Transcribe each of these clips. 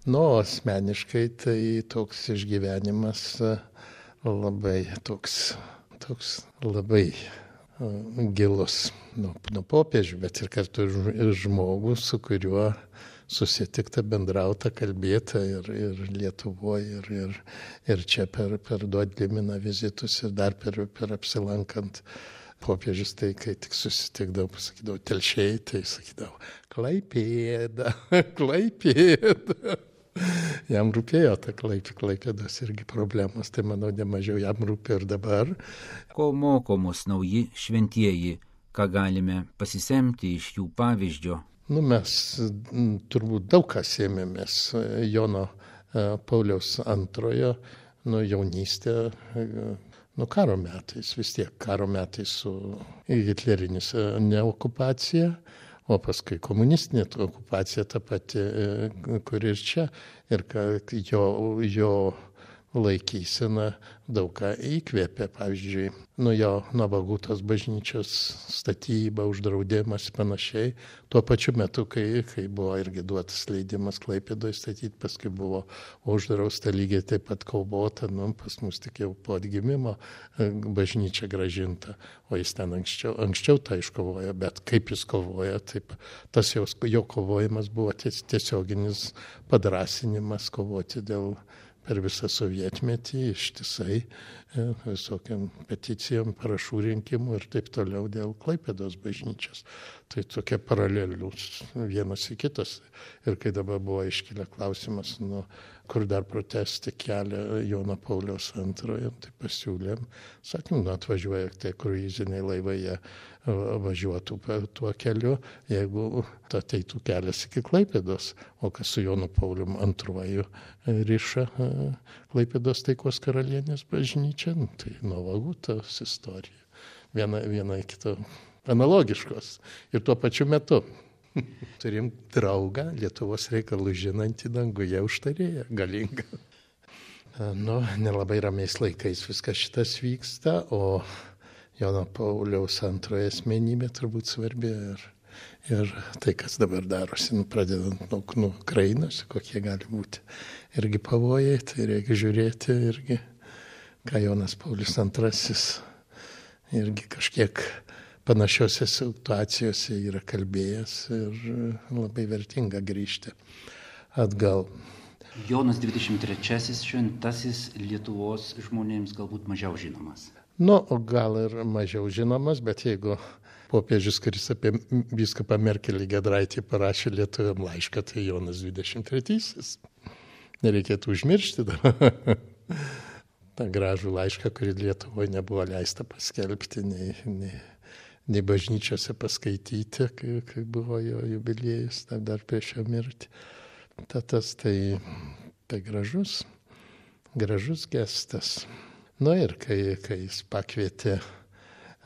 Nu, asmeniškai tai toks išgyvenimas labai toks labai gilus nuo popiežių, bet ir kartu ir žmogus, su kuriuo susitikta, bendrauta, kalbėta ir Lietuvoje, ir čia per Duodliminą vizitus ir dar per apsilankant. Popiežius tai, kai tik susitikdavau, pasakydavau telšiai, tai sakydavau Klaipėda, Klaipėda. Jam rūpėjo ta Klaipėdos irgi problemos, tai manau nemažiau jam rūpėjo ir dabar. Ko moko mus nauji šventieji, ką galime pasisemti iš jų pavyzdžio? Mes turbūt daug ką sėmėmės Jono Pauliaus II, jaunystė, karo metais, vis tiek karo metais su hitlerinis neokupacija, o paskui komunistinė okupacija ta pati, kuri ir čia, ir jo laikysena daug ką įkvėpė, pavyzdžiui, jo Navagutos bažnyčios statyba, uždraudimas panašiai. Tuo pačiu metu, kai buvo irgi duotas leidimas Klaipėdoje statyti, paskui buvo uždrausta lygiai taip pat kovota, pas mus tik jau po atgimimo bažnyčia grąžinta, o jis ten anksčiau tą iškovojo, bet kaip jis kovojo, taip tas jo kovojimas buvo tiesioginis padrąsinimas kovoti per visą sovietmetį ištisai visokiam peticijom, parašų rinkimų ir taip toliau dėl Klaipėdos bažnyčios. Tai tokie paralelius vienas į kitas. Ir kai dabar buvo iškilę klausimas, kur dar protesti kelią Jono Pauliaus II, tai pasiūlėm, sakėm, atvažiuoja tie kruiziniai laivai, jie važiuotų tuo keliu, jeigu ateitų kelias iki Klaipėdos, o kas su Jonu Paulium II riša Klaipėdos taikos karalienės bažnyčia, tai Navagutos istorija. Viena kito analogiškos ir tuo pačiu metu. Turim draugą, Lietuvos reikalų žinantį danguje užtarėją, galingą. Nelabai ramiais laikais viskas šitas vyksta, o Jono Pauliaus II asmenybė turbūt svarbi ir tai, kas dabar darosi, pradedant nuo Ukrainos, kokie gali būti irgi pavojai, tai reikia žiūrėti irgi, ką Jonas Paulius II irgi kažkiek panašiose situacijose yra kalbėjęs ir labai vertinga grįžti atgal. Jonas 23 šventasis Lietuvos žmonėms galbūt mažiau žinomas. Gal ir mažiau žinomas, bet jeigu popiežius, kuris apie vyskupą Merkelį Giedraitį parašė lietuviam laišką, tai Jonas 23. Nereikėtų užmiršti tą gražų laišką, kurį Lietuvoje nebuvo leista paskelbti, nei bažnyčiose paskaityti, kai buvo jo jubiliejus, dar prieš jo mirtį. Tas tai gražus gestas. Ir kai jis pakvietė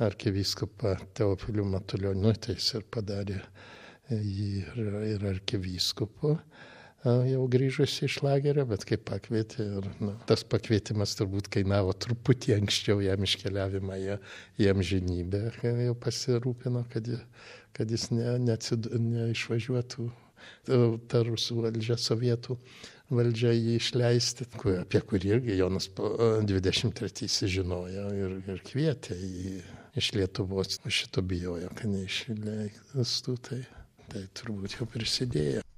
arkivyskupą Teofilių Matulionį, tai jis ir padarė jį ir arkivyskupu, jau grįžusi iš lagerio, bet kai pakvietė, tas pakvietimas turbūt kainavo truputį anksčiau jam iškeliavimą į amžinybę, jau pasirūpino, kad jis neišvažiuotų ta rusų valdžia, sovietų valdžia jį išleisti, apie kurį irgi Jonas 23 žinojo ir kvietė jį iš Lietuvos. Šito bijojo, kad neišleistų, tai turbūt jau prisidėjo.